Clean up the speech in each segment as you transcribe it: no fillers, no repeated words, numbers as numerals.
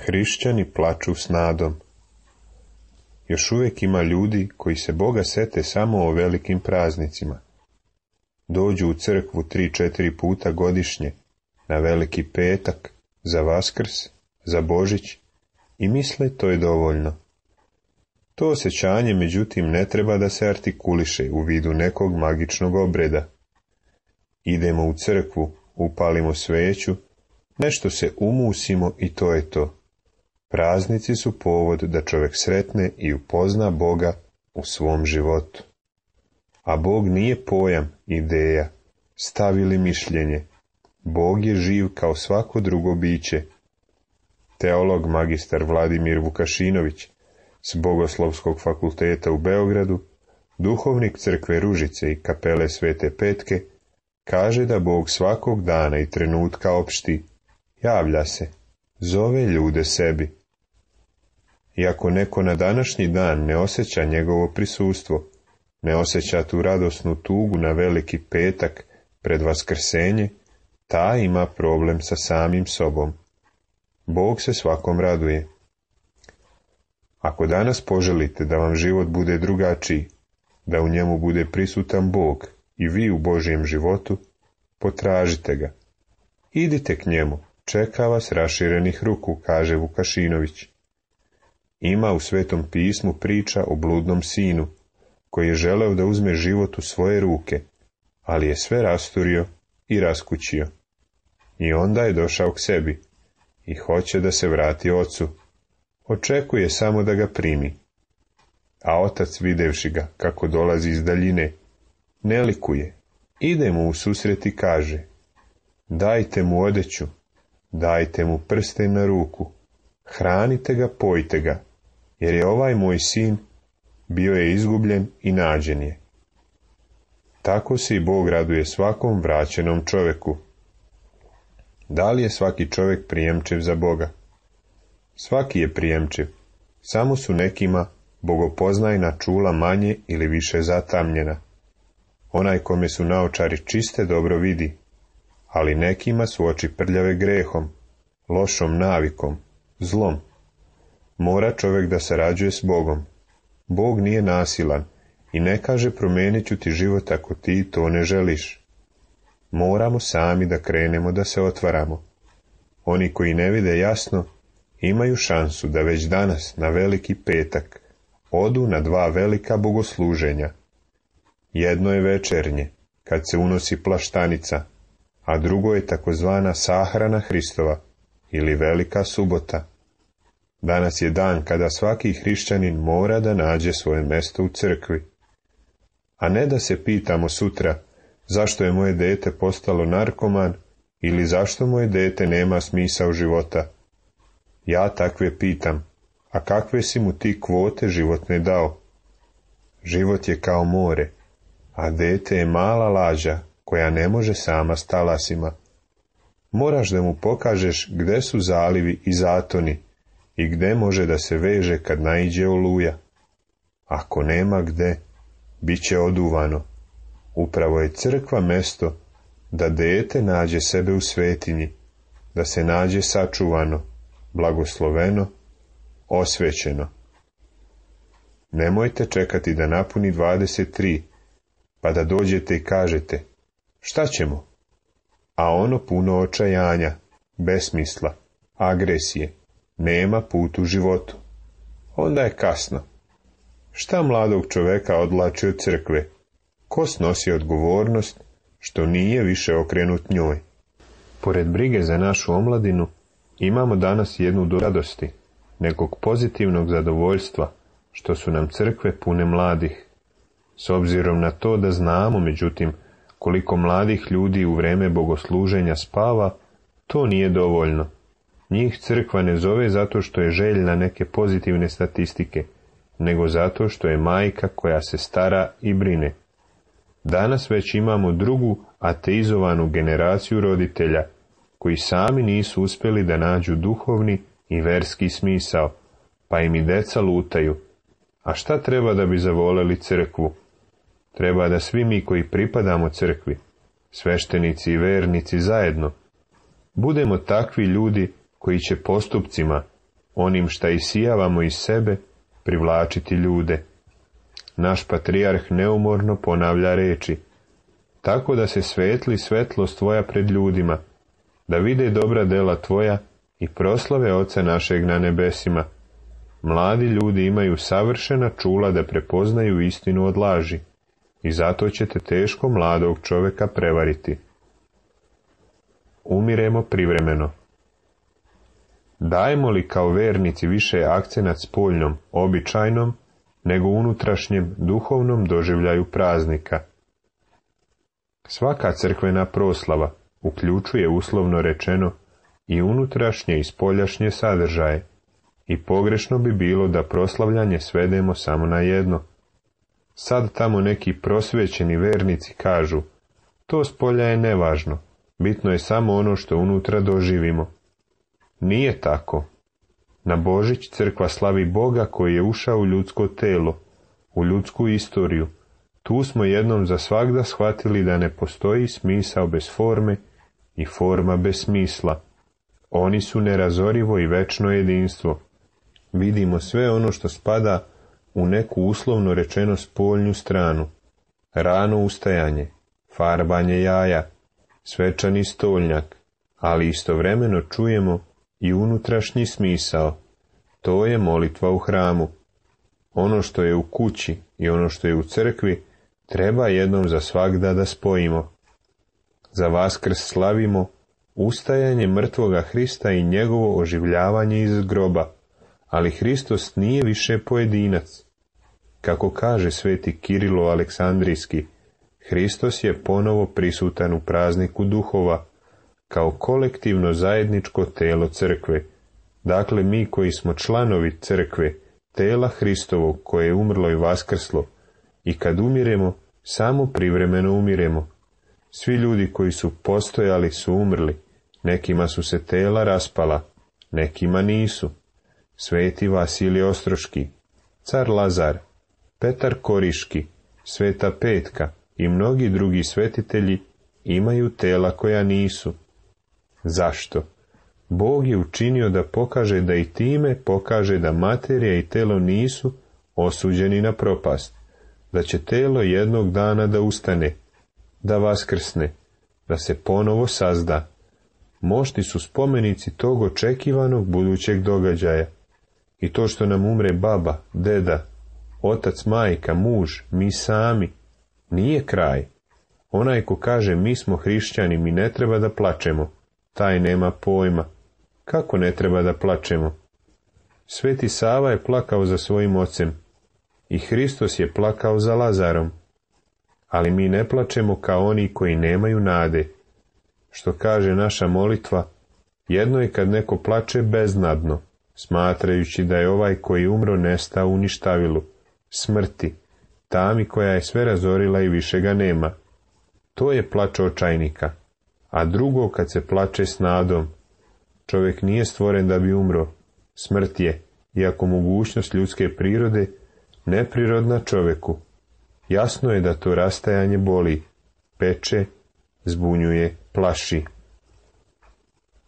Hrišćani plaču s nadom. Još uvijek ima ljudi koji se Boga sete samo o velikim praznicima. Dođu u crkvu 3-4 puta godišnje, na Veliki petak, za Vaskrs, za Božić i misle to je dovoljno. To osjećanje, međutim, ne treba da se artikuliše u vidu nekog magičnog obreda. Idemo u crkvu, upalimo sveću, nešto se umusimo i to je to. Praznici su povod da čovjek sretne i upozna Boga u svom životu. A Bog nije pojam, ideja, stav ili mišljenje. Bog je živ kao svako drugo biće. Teolog magistar Vladimir Vukašinović s Bogoslovskog fakulteta u Beogradu, duhovnik crkve Ružice i kapele Svete Petke, kaže da Bog svakog dana i trenutka opšti, javlja se, zove ljude sebi. Iako neko na današnji dan ne osjeća njegovo prisustvo, ne osjeća tu radosnu tugu na Veliki petak pred Vaskrsenje, taj ima problem sa samim sobom. Bog se svakom raduje. Ako danas poželite da vam život bude drugačiji, da u njemu bude prisutan Bog i vi u Božjem životu, potražite ga. Idite k njemu, čeka vas raširenih ruku, kaže Vukašinović. Ima u Svetom pismu priča o bludnom sinu, koji je želeo da uzme život u svoje ruke, ali je sve rasturio i raskućio. I onda je došao k sebi i hoće da se vrati ocu. Očekuje samo da ga primi. A otac, videvši ga kako dolazi iz daljine, ne likuje, ide mu u susret i kaže, dajte mu odeću, dajte mu prsten na ruku, hranite ga, pojte ga, jer je ovaj moj sin bio je izgubljen i nađen je. Tako se i Bog raduje svakom vraćenom čovjeku. Da li je svaki čovjek prijemčiv za Boga? Svaki je prijemčiv, samo su nekima bogopoznajna čula manje ili više zatamnjena. Onaj kome su naočari čiste dobro vidi, ali nekima su oči prljave grehom, lošom navikom, zlom. Mora čovjek da sarađuje s Bogom. Bog nije nasilan i ne kaže promijenit ću ti život ako ti to ne želiš. Moramo sami da krenemo da se otvaramo. Oni koji ne vide jasno, imaju šansu da već danas na Veliki petak odu na 2 velika bogosluženja. Jedno je večernje, kad se unosi plaštanica, a drugo je takozvana sahrana Hristova ili Velika subota. Danas je dan kada svaki hrišćanin mora da nađe svoje mjesto u crkvi. A ne da se pitamo sutra zašto je moje dete postalo narkoman ili zašto moje dete nema smisao života. Ja takve pitam, a kakve si mu ti kvote životne dao? Život je kao more, a dete je mala lađa koja ne može sama s talasima. Moraš da mu pokažeš gde su zalivi i zatoni i gde može da se veže kad naiđe oluja. Ako nema gde, bit će oduvano. Upravo je crkva mesto da dete nađe sebe u svetinji, da se nađe sačuvano, blagosloveno, osvećeno. Nemojte čekati da napuni 23, pa da dođete i kažete, šta ćemo? A ono puno očajanja, besmisla, agresije, nema put u životu. Onda je kasno. Šta mladog čoveka odvlači od crkve? Ko snosi odgovornost što nije više okrenut njoj? Pored brige za našu omladinu, imamo danas jednu do radosti, nekog pozitivnog zadovoljstva, što su nam crkve pune mladih. S obzirom na to da znamo, međutim, koliko mladih ljudi u vreme bogosluženja spava, to nije dovoljno. Njih crkva ne zove zato što je željna neke pozitivne statistike, nego zato što je majka koja se stara i brine. Danas već imamo drugu ateizovanu generaciju roditelja, koji sami nisu uspjeli da nađu duhovni i verski smisao, pa im i deca lutaju. A šta treba da bi zavoleli crkvu? Treba da svi mi koji pripadamo crkvi, sveštenici i vernici zajedno, budemo takvi ljudi koji će postupcima, onim šta isijavamo iz sebe, privlačiti ljude. Naš patrijarh neumorno ponavlja reči, tako da se svetli svetlost tvoja pred ljudima, da vide dobra dela tvoja i proslave Oca našeg na nebesima. Mladi ljudi imaju savršena čula da prepoznaju istinu od laži i zato ćete teško mladog čovjeka prevariti. Umiremo privremeno. Dajemo li kao vernici više akcenat spoljnom, običajnom, nego unutrašnjem, duhovnom doživljaju praznika? Svaka crkvena proslava uključuje uslovno rečeno i unutrašnje i spoljašnje sadržaje i pogrešno bi bilo da proslavljanje svedemo samo na jedno. Sad tamo neki prosvećeni vernici kažu, to spolja je nevažno, bitno je samo ono što unutra doživimo. Nije tako. Na Božić crkva slavi Boga koji je ušao u ljudsko telo, u ljudsku istoriju. Tu smo jednom za svagda shvatili da ne postoji smisao bez forme i forma bez smisla. Oni su nerazorivo i večno jedinstvo. Vidimo sve ono što spada u neku uslovno rečeno spoljnju stranu. Rano ustajanje, farbanje jaja, svečani stolnjak, ali istovremeno čujemo i unutrašnji smisao. To je molitva u hramu. Ono što je u kući i ono što je u crkvi treba jednom za svagda da spojimo. Za Vaskrs slavimo ustajanje mrtvoga Hrista i njegovo oživljavanje iz groba, ali Hristos nije više pojedinac. Kako kaže sveti Kirilo Aleksandrijski, Hristos je ponovo prisutan u prazniku duhova, kao kolektivno zajedničko telo crkve. Dakle, mi koji smo članovi crkve, tela Hristovog koje je umrlo i vaskrslo, i kad umiremo, samo privremeno umiremo. Svi ljudi koji su postojali su umrli, nekima su se tela raspala, nekima nisu. Sveti Vasilij Ostroški, car Lazar, Petar Koriški, Sveta Petka i mnogi drugi svetitelji imaju tela koja nisu. Zašto? Bog je učinio da pokaže da i time pokaže da materija i telo nisu osuđeni na propast, da će telo jednog dana da ustane, da vaskrsne, da se ponovo sazda. Mošti su spomenici tog očekivanog budućeg događaja. I to što nam umre baba, deda, otac, majka, muž, mi sami, nije kraj. Onaj ko kaže mi smo hrišćani, mi ne treba da plačemo, taj nema pojma. Kako ne treba da plačemo? Sveti Sava je plakao za svojim ocem i Hristos je plakao za Lazarom. Ali mi ne plačemo kao oni koji nemaju nade. Što kaže naša molitva, jedno je kad neko plače beznadno, smatrajući da je ovaj koji umro nestao u ništavilu, smrti, tami koja je sve razorila i više ga nema. To je plač očajnika. A drugo kad se plače s nadom. Čovjek nije stvoren da bi umro. Smrt je, iako mogućnost ljudske prirode, neprirodna čovjeku. Jasno je da to rastajanje boli, peče, zbunjuje, plaši.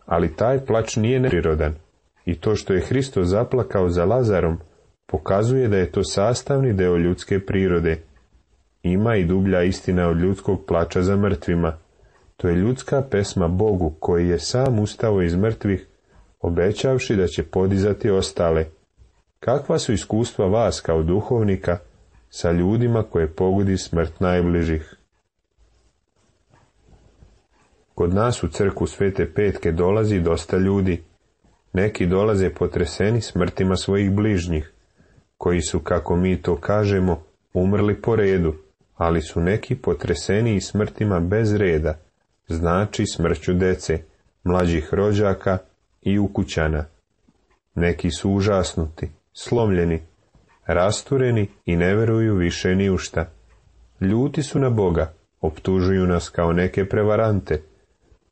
Ali taj plač nije neprirodan. I to što je Hristos zaplakao za Lazarom, pokazuje da je to sastavni deo ljudske prirode. Ima i dublja istina od ljudskog plača za mrtvima. To je ljudska pesma Bogu, koji je sam ustao iz mrtvih, obećavši da će podizati ostale. Kakva su iskustva vas kao duhovnika sa ljudima koje pogodi smrt najbližih? Kod nas u crkvu Svete Petke dolazi dosta ljudi. Neki dolaze potreseni smrtima svojih bližnjih, koji su, kako mi to kažemo, umrli po redu, ali su neki potreseni i smrtima bez reda, znači smrću dece, mlađih rođaka i ukućana. Neki su užasnuti, slomljeni, rastureni i ne veruju više ni u šta. Ljuti su na Boga, optužuju nas kao neke prevarante.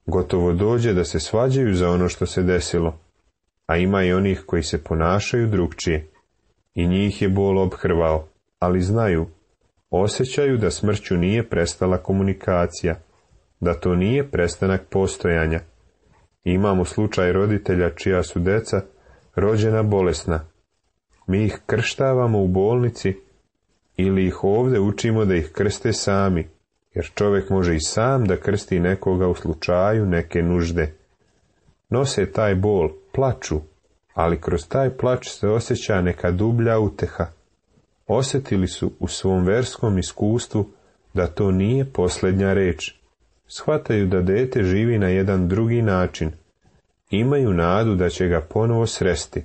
Gotovo dođe da se svađaju za ono što se desilo, a ima i onih koji se ponašaju drugčije. I njih je bol ophrvao, ali znaju, osjećaju da smrću nije prestala komunikacija, da to nije prestanak postojanja. Imamo slučaj roditelja čija su deca rođena bolesna. Mi ih krštavamo u bolnici ili ih ovdje učimo da ih krste sami, jer čovjek može i sam da krsti nekoga u slučaju neke nužde. Nose taj bol, plaču, ali kroz taj plač se osjeća neka dublja uteha. Osjetili su u svom verskom iskustvu da to nije posljednja reč. Shvataju da dete živi na jedan drugi način. Imaju nadu da će ga ponovo sresti,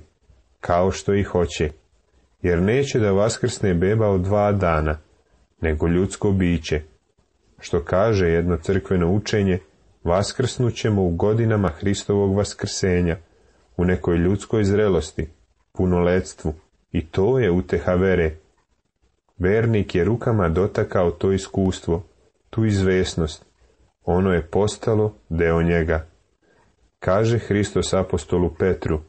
kao što i hoće, jer neće da vaskrsne beba od 2 dana, nego ljudsko biće. Što kaže jedno crkveno učenje, vaskrsnućemo u godinama Hristovog vaskrsenja, u nekoj ljudskoj zrelosti, punoletstvu, i to je uteha vere. Vernik je rukama dotakao to iskustvo, tu izvesnost. Ono je postalo deo njega. Kaže Hristos apostolu Petru,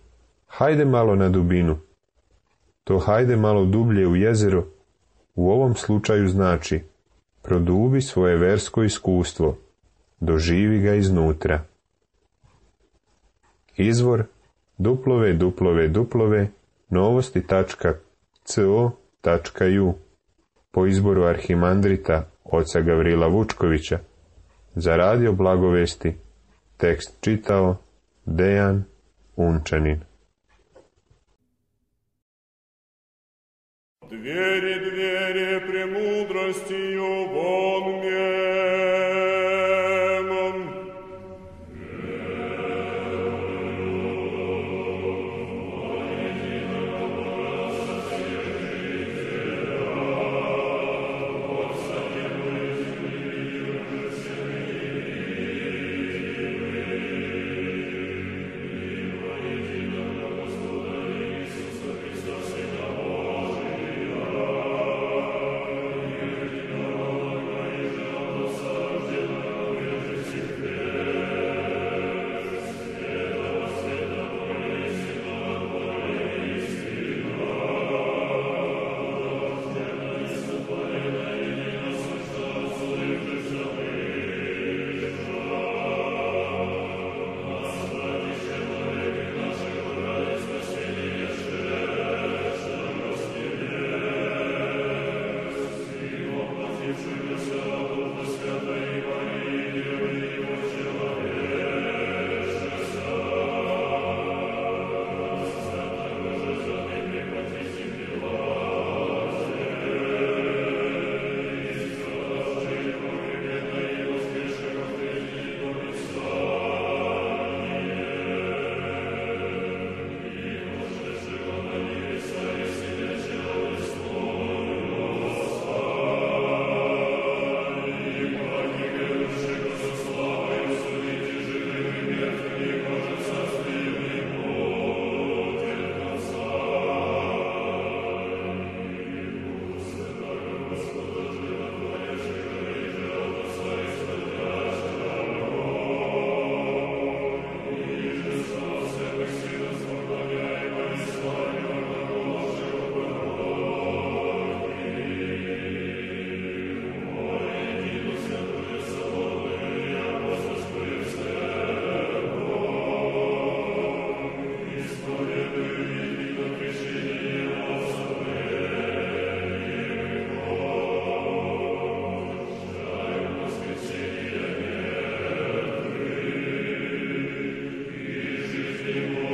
hajde malo na dubinu. To hajde malo dublje u jezero u ovom slučaju znači produbi svoje versko iskustvo, doživi ga iznutra. Izvor www.novosti.co.u po izboru arhimandrita oca Gavrila Vučkovića. Za radio Blagovesti tekst čitao Dejan Unčanin. Двери премудростью вон мемом. Amen.